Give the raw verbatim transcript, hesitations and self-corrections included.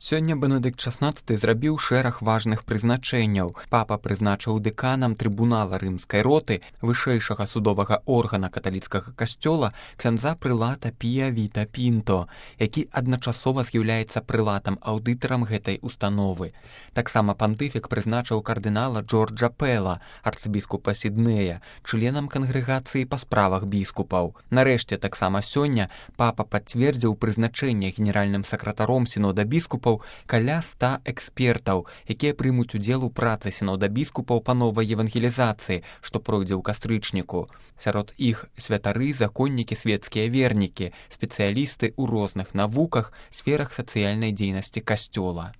Сёння Бенедыкт шаснаццаты зрабіў шэраг важных прызначэнняў. Папа прызначыў дэканам трыбунала рымскай роты, вышэйшага судовага органа каталіцкага касцёла, ксяндза прылата Пія Віта Пінто, які адначасова з'яўляецца прылатам-аўдытарам гэтай установы. Таксама пантыфік прызначыў кардынала Джорджа Пэла, арцыбіскупа Сіднея, членам кангрэгацыі па справах біскупаў. Нарэшце, таксама сёння папа пацвердзіў прызначэнне генеральным сакратаром сінода біскупаў каля ста экспертаў, якія прымуць удзел у працы сінода біскупаў па новай евангелізацыі, што пройдзе ў кастрычніку. Сярод іх святары, законнікі, свецкія вернікі, спецыялісты ў розных навуках, сферах сацыяльнай дзейнасці касцёла.